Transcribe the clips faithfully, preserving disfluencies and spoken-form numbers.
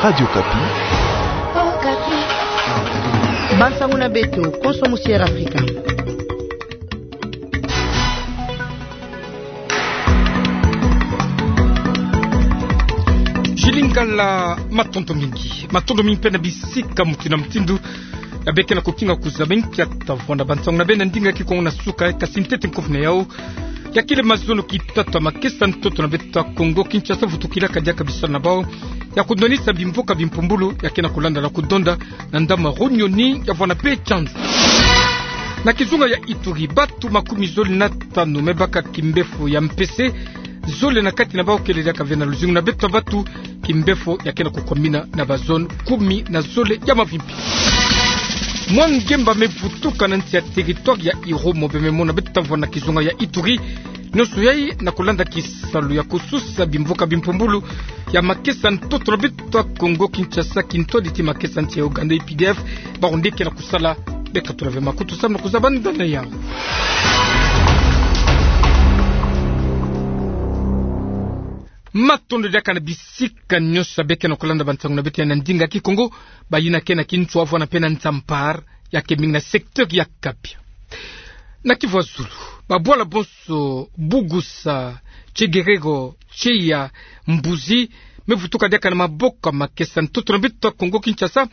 Radio Okapi. Bansangu na beto, konso musi Air Afrika. Julie Ngala, matondo mingi. Matondo mingi mpe na bisika mutindu na mutindu ya beke na kokinga kuzaba nkia tavwanda bansangu na beno na ndinga ya Kikongo na suka, kasi ntete nkofu na yau. Ya kele mazono ki tatu ya makesa ntoto na beto ya Kongo Kinshasa, vutukilaka diaka bisalu na bau ya kudwanisa bimvuka bimpumbulu ya ke na kulanda na kudonda na ndambu ya Runyoni, ya vwanda mpe Tshanzu. Na kizunga ya Ituri, batu makumi zole na tanu me baka kimbefo ya mpese, zole na kati na bau kele diaka ve na luzingu na beto ya batu. Kimbefo ya ke na kukwamina na bazone kumi na zole ya mavimpi. Mwa ngemba me vutuka na nsi ya territoire ya Irumu, be me mona beto ya vwanda na kizunga ya Ituri. Nyonso yai na kulanda kisalu ya kususa bimvuka bimpumbulu ya makesa ntoto na beto ya Kongo Kinshasa, kintwadi ti makesa nsi ya Ouganda, U P D F, bawu nde ke na kusala. Beka tula ve makutu samu na kuzaba ndani na yau. Matondo diaka na bisika nyonso ya beke na kulanda bansangu na beto ya na ndinga ya Kikongo, bayina ke na Kintswa vwanda mpe na Nzampar, ya ke mingi na secteur ya Kapia. Na Kivu ya Zulu, babwala bonso Bugusa, Tsegerero, Tseya, Mbuzi, me vutuka diaka na maboko ya makesa ntoto na beto ya Kongo Kinshasa,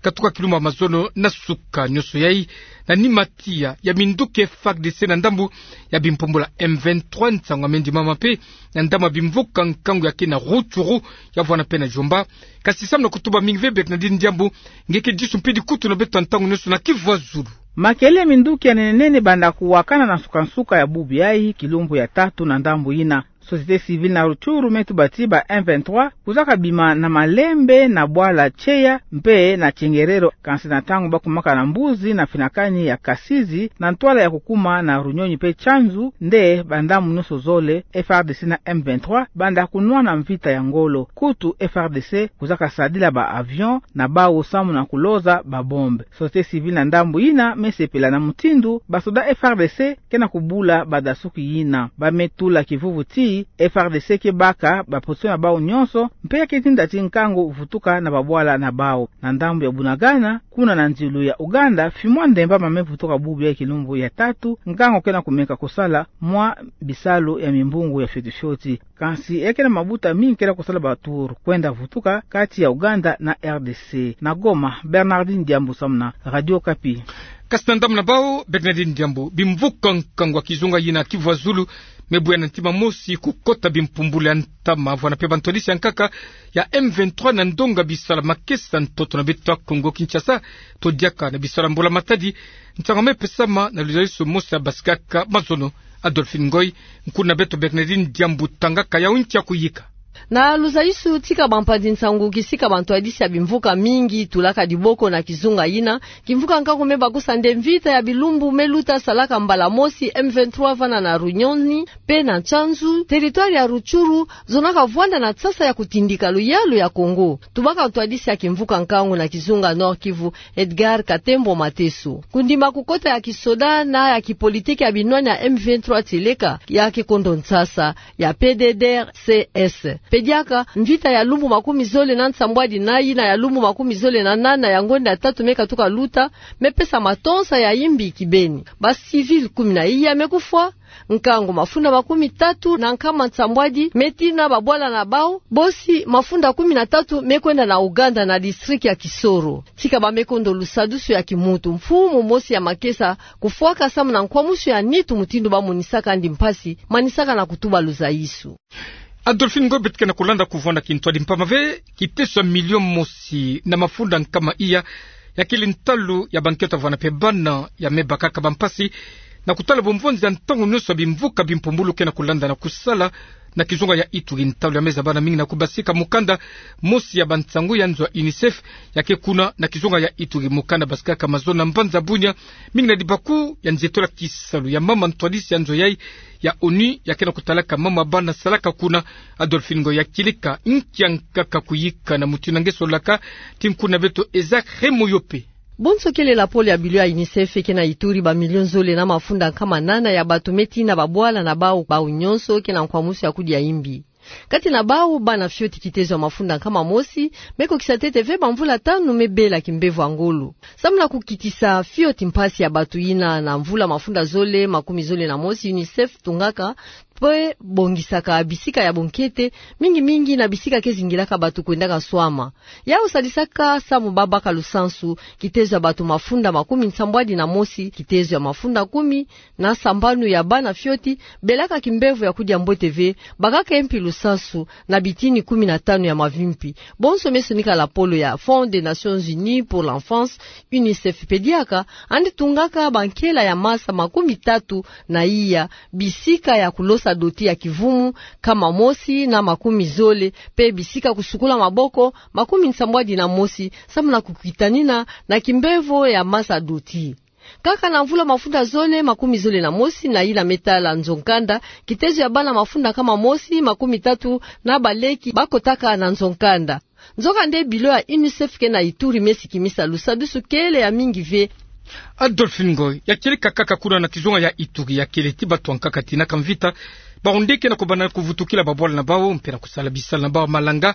katuka kilumbu ya mazono na suka. Nyonso yai na nima tiya ya minduki F A R D C na ndambu ya bimpumbulu ya M vingt-trois. Nsangu ya me ndimama mpe na ndambu ya bimvuka nkangu ya ke na Rutshuru, ya vwanda mpe na Djomba. Kasi samu na kutuba mingi ve, Bernardine Diambu, nge ke disu mpidi kutu na beto ya ntangu nyonso na Kivu ya Zulu. Makele minduki ya nene nene banda kuwakana na nsuka nsuka ya bubu yai, kilumbu ya tatu na ndambu yina. Société civile na Rutshuru me tuba ti ba M vingt-trois kuzaka bima na malembe na bwala Tseya mpe na Tsengerero, kansi na ntangu ba kumaka na Mbuzi na finakani ya Kasizi, na ntwala ya kukuma na Runyoni mpe Tshanzu, nde bandambu nyonso zole F A R D C na M vingt-trois banda kunwana mvita ya ngolo. Kutu F A R D C kuzaka sadila ba avion na bau samu na kuloza ba bombe. Société civile na ndambu yina me sepela na mutindu ba soda F A R D C ke na kubula badasuki yina. Ba me tula kivuvu ti F A R D C ke baka ba position na bau nyonso, mpe ya ke tinda ti nkangu vutuka na babwala na bau. Na ndambu ya Bunagana, kuna na nzilu ya Ouganda, fimwa ndemba ma me vutuka bubu ya kilumbu ya tatu, nkangu ke na kumeka kusala mwa bisalu ya mimbungu ya fioti fioti. Kansi ya ke na mabuta mingi ke na kusala ba tour kwenda vutuka kati ya Ouganda na R D C. Na Goma, Bernardine Diambu samu na Radio Okapi. Kasi na ndambu na bau, Bernardine Diambu, bimvuka nkangu ya kizunga yina Kivu ya Zulu me bwe ya na ntima mosi kukota bimpumbulu ya ntama vwanda mpe bantwadisi ya nkaka ya M vingt-trois na ndonga bisalu ya makesa ntoto na beto ya Kongo Kinshasa, to diaka na bisalu ya mbula-matadi. Nsangu me pesama na luzalisu mosi ya basikaka mazono. Adolphine Ngoy, nkuna beto Bernardine Diambu tangaka yau nkia kuyika. Na luzalisu tika bampanzi-nsangu kisika bantwadisi ya bimvuka mingi tulaka diboko na kizunga yina, kimvuka nkangu me bakusa nde mvita ya bilumbu me luta salaka mbala mosi M vingt-trois vana na Runyoni mpe na Tshanzu, territoire ya Rutshuru, zonaka vwanda na nsasa ya kutindika luyalu ya Kongo. Tubaka ntwadisi ya kimvuka nkangu na kizunga Nord-Kivu, Edgar Katembo Mateso. Kundima kukota ya kisoda na ya kipolitiki ya binwani ya M vingt-trois tieleka, ya ke kondo nsasa ya P D D R C S. Mpe diaka, mvita ya lumbu makumi zole na nsambwadi na yina ya lumbu makumi zole na nana ya ngonda ya tatu me katuka luta, me pesa matonsa ya imbi kibeni. Ba civil kumi na iya me kufwa, nkangu mafunda makumi tatu na nkama nsambwadi me tina babwala na bau, bosi mafunda kumi na tatu me kwenda na Ouganda na district ya Kisoro. Tika ba me kondo lusadusu ya kimuntu, mfumu mosi ya makesa kufwaka samu na nkwamusu ya nitu mutindu ba monisaka yandi mpasi, manisaka na kutuba luzaisu. Adolphine Ngoy, beto ke na kulanda kuvwanda kintwadi mpamba ve, kiteso ya milio mosi na mafunda nkama iya ya kele ntalu ya bankento vana mpe bana ya me bakaka bampasi na kutala bomvonzi ya ntangu nyonso ya bimvuka bimpumbulu ke na kulanda na kusala na kizunga ya Ituri. Ntalu ya me zabana mingi na kubasika mukanda mosi ya bansangu ya nzo ya UNICEF ya ke kuna na kizunga ya Ituri. Mukanda basikaka mazono na mbanza Bunia, mingi na dibaku ya nzietolo ya kisalu ya mama ntwadisi ya nzo yai ya ONU ya ke na kutalaka mama bana salaka kuna. Adolphine Ngoy, ya kieleka nkia nkaka kuyika na mutindu nge sololaka ti nkuna beto Isaac Remoyope. Bonso kele lapolo ya bilo ya UNICEF ke na Ituri ba milio zole na mafunda nkama nana ya bato me tina babwala na bau, bau nyonso ke na nkwamusu ya kudia imbi. Kati na bawu, bana fioti kitezo ya mafunda nkama mosi me kokisa ntete ve bamvula tanu me bela kimbevo ya ngolo. Samu na kukitisa fioti mpasi ya bato yina na mvula mafunda zole makumi zole na mosi, UNICEF tungaka pe bongisaka bisika ya bonkete, mingi mingi na bisika ke zingilaka bato kwendaka swama. Yawu salisaka samu babaka lusansu kitezo ya bato mafunda makumi nsambwadi na mosi, kitezo ya mafunda kumi na sambanu ya bana fioti belaka kimbevo ya kudia mbote ve, bakaka mpi lusansu na bitini kumi na tanu ya mavimpi. Bonso me sonika lapolo ya Fonds des Nations Unies pour l'Enfance, UNICEF pe diaka, yandi tungaka bankela ya masa makumi tatu na iya, bisika ya kulosa doti ya kivumu nkama mosi na makumi zole, pe bisika kusukula maboko makumi nsambwadi na mosi, samu na kukitanina na kimbevo ya masa doti. Kaka na mvula mafunda zole makumi zole na mosi, na yina me tala nzo-nkanda, kitezo ya bana mafunda nkama mosi makumi tatu na baleki bakotaka na nzo-nkanda. Nzokande, bilo ya UNICEF ke na Ituri me sikimisa lusadusu kele ya mingi ve. Adolphine Ngoy, ya kieleka kaka kuna na kizunga ya Ituri, ya kele ti bato ya nkaka tina ka mvita, bawu nde ke na kubanda kuvutukila babwala na bawu mpe na kusala bisalu na bawu ya malanga,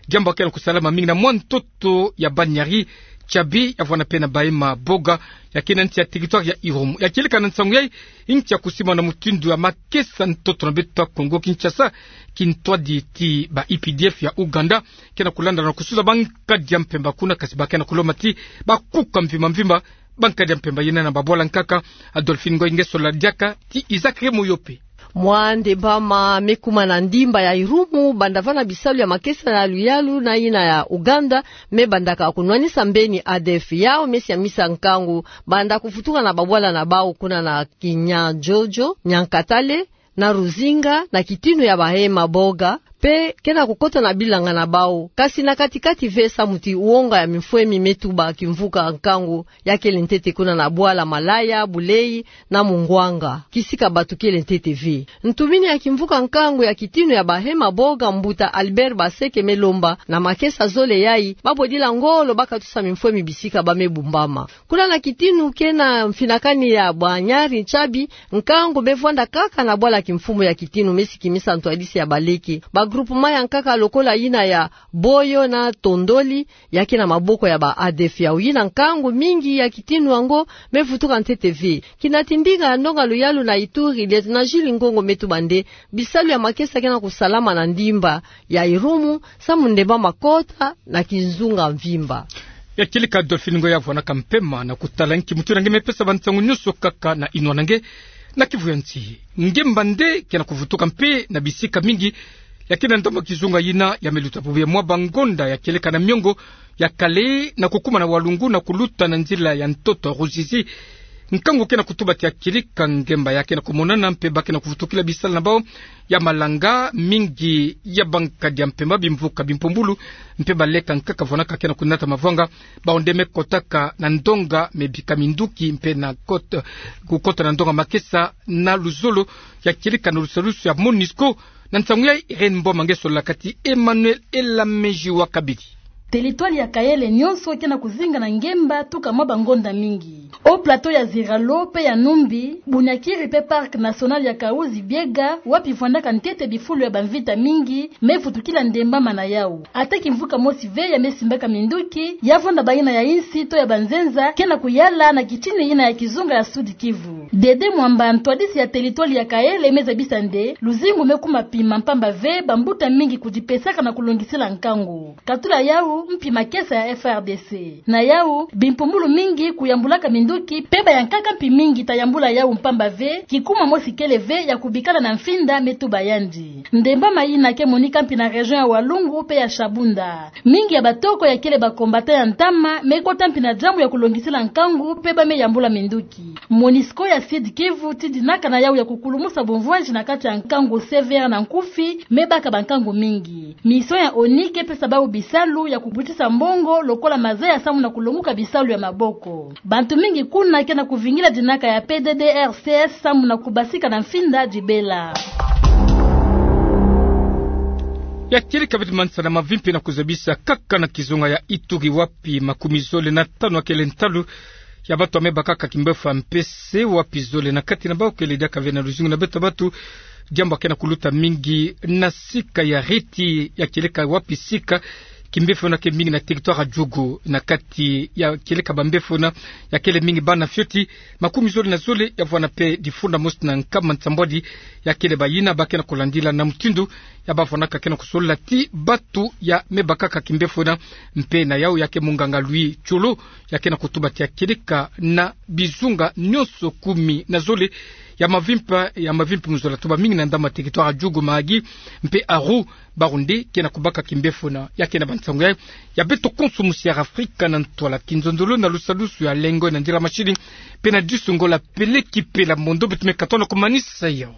diambu ke na kusalama mingi na mwa ntoto ya Banyari, Tiabi, ya vwanda mpe na Bahema Boga, ya ke na nsi ya territoire ya Irumu. Ya kieleka na nsangu yayi, nsi ya kusimbana mutindu ya makesa ntoto na beto ya Kongo Kinshasa, kintwadi ti ba U P D F ya Ouganda ke na kulanda na kusuza bankadi ya mpemba kuna, kasi ba ke na kulomba ti bakuka mvimba mvimba bankadi ya mpemba yina na babwala nkaka. Adolphine Ngoy, nge solola diaka ti Isaac Remoyope. Mwa ndembama me kuma na ndimba ya Irumu, banda vana bisalu ya makesa ya luyalu na yina ya Ouganda me bandaka kunwanisa mbeni A D F. Yawu me siamisa nkangu, banda kuvutuka na babwala na bawu kuna na Kinyandjodjo, Nyankatale, na Ruzinga, na kitinu ya Bahema Boga, mpe ke na kukota na bilanga na bawu, kasi na kati-kati ve, samu ti wonga ya mimfwemi me tuba kimvuka nkangu ya kele ntete kuna na bwala Malaya, Buleyi, na Mungwanga, kisika bato kele ntete ve. Ntumini ya kimvuka nkangu ya kitinu ya Bahema Boga, mbuta Albert Baseke, me lomba na makesa zole yayi, babodila ngolo bakatusa mimfwemi bisika ba me bumbama. Kuna na kitinu ke na mfinakani ya Banyari, Tiabi, nkangu me vwanda kaka na bwala kimfumu ya kitinu, me sikimisa ntwadisi ya baleke. Ba groupement ya nkaka lokola yina ya Boyo na Tondoli, ya ke na maboko ya ba A D F. Yawu yina nkangu, mingi ya kitinu yango me vutuka ntete ve. Kina ti ndinga ya ndonga luyalu na Ituri, Lieutenant Jules Ngongo, me tuba nde bisalu ya makesa ke na kusalama na ndimba ya Irumu, samu ndembama kota na kizunga mvimba. Ya kieleka Adolphine Ngoy, ya vwanaka mpema na kutala nki mutindu na nge me pesa bansangu nyonso kaka na yinwa na nge na Kivu ya nsi. Ngemba nde ke na kuvutuka mpe na bisika mingi, ya ke na ndambu ya kizunga yina ya me luta bubu ya mwa bangonda, ya kieleka na miongo ya Kale, na kukuma na Walungu na kuluta na nzila ya ntoto Ruzizi. Nkangu ke na kutuba ti ya kieleka ngemba ya ke na kumonana, mpe ba ke na kuvutukila bisalu na bawu ya malanga, mingi ya bankadi ya mpemba, bimvuka, bimpumbulu, mpe baleka nkaka vwanaka ke na kunata mavwanga. Bawu nde me kotaka na ndonga me bika minduki mpe na kot-, kukota na ndonga makesa na luzolo, ya kieleka na lusadusu ya MONUSCO. Na nsangu ya Irène Mboma, nge solola kati Emmanuel Elameji wa Kabidi. Territoire ya Kaele nyonso ke na kuzinga na ngemba tuka mwa bangonda mingi. Haut-Plateau ya Ziralo mpe ya Numbi, Bunyakiri mpe Parc National ya Kahuzi-Biega, wapi vwandaka ntete bifulu ya bamvita mingi, me vutukila ndembama na yawu. Ata kimvuka mosi ve ya me simbaka minduki, ya vwanda bayina ya insi to ya banzenza ke na kuyala na kitini yina ya kizunga ya Sud-Kivu. Dede Mwamba, ntwadisi ya territoire ya Kaele, me zabisa nde luzingu me kuma pima mpamba ve bambuta mingi kudipesaka na kulongisila nkangu. Katula yawu, mpi makesa ya F R D C. Na yawu, bimpumbulu mingi kuyambulaka minduki, mpe ba ya nkaka mpi mingi ta yambula yawu mpamba ve kikuma mosi kele ve ya kubikana na mfinda, me tuba yandi. Ndembama yina ke monika mpi na région ya Walungu mpe ya Shabunda. Mingi ya batoko ya kele ba combattants ya ntama me kota mpi na diambu ya kulongisila nkangu mpe ba me yambula minduki. MONUSCO ya Sud-Kivu ti dinaka na yawu ya kukulumusa bumvwanzi na kati ya nkangu sévère na nkufi, me baka bankangu mingi. Mission ya ONU ke pesa bawu bisalu ya kubutisa mbongo lokola mazeya samu na kulonguka bisalu ya maboko. Bantu mingi kuna ke na kuvingila dinaka ya P D D R C S samu na kubasika na mfinda dibela. Ya kieleka beti mansana mavimpi na kuzabisa kaka na kizunga ya Ituri, wapi makumi zole na tanu ya kele ntalu ya batu ya mebakaka kimbefo ya mpese wapi zole na kati na bau kele diaka ve na luzungu na beto ya batu. Diambu ya ke na kuluta mingi na sika ya Riti, ya kieleka wapi sika kimbefo na ke mingi na territoire ya Djugu. Na kati ya kieleka bambefo na, ya kele mingi bana fioti makumi zole na zole ya vwanda mpe difunda mosi na nkama nsambwadi ya kele bayina ba ke na kulandila na mutindu ya ba vwandaka ke na kusolila ti batu ya mebakaka kimbefo na. Mpe na yau ya ke munganga Louis Tcholo, ya ke na kutuba ti ya kieleka na bizunga nyonso kumi na zole ya mavimpa, ya mavimpa mu zola tuba mingi na ndambu ya territoire ya Djugu, Mahagi mpe Arrou, bawu nde ke na kubaka kimbefo na. Ya ke na bansangu ya, ya beto konso musi ya Afrika na ntwala kinzonzolo na lusalusu ya lengo na ndila masini mpe na disu ngola pele kipela mondo beto me katona kumanisa yau.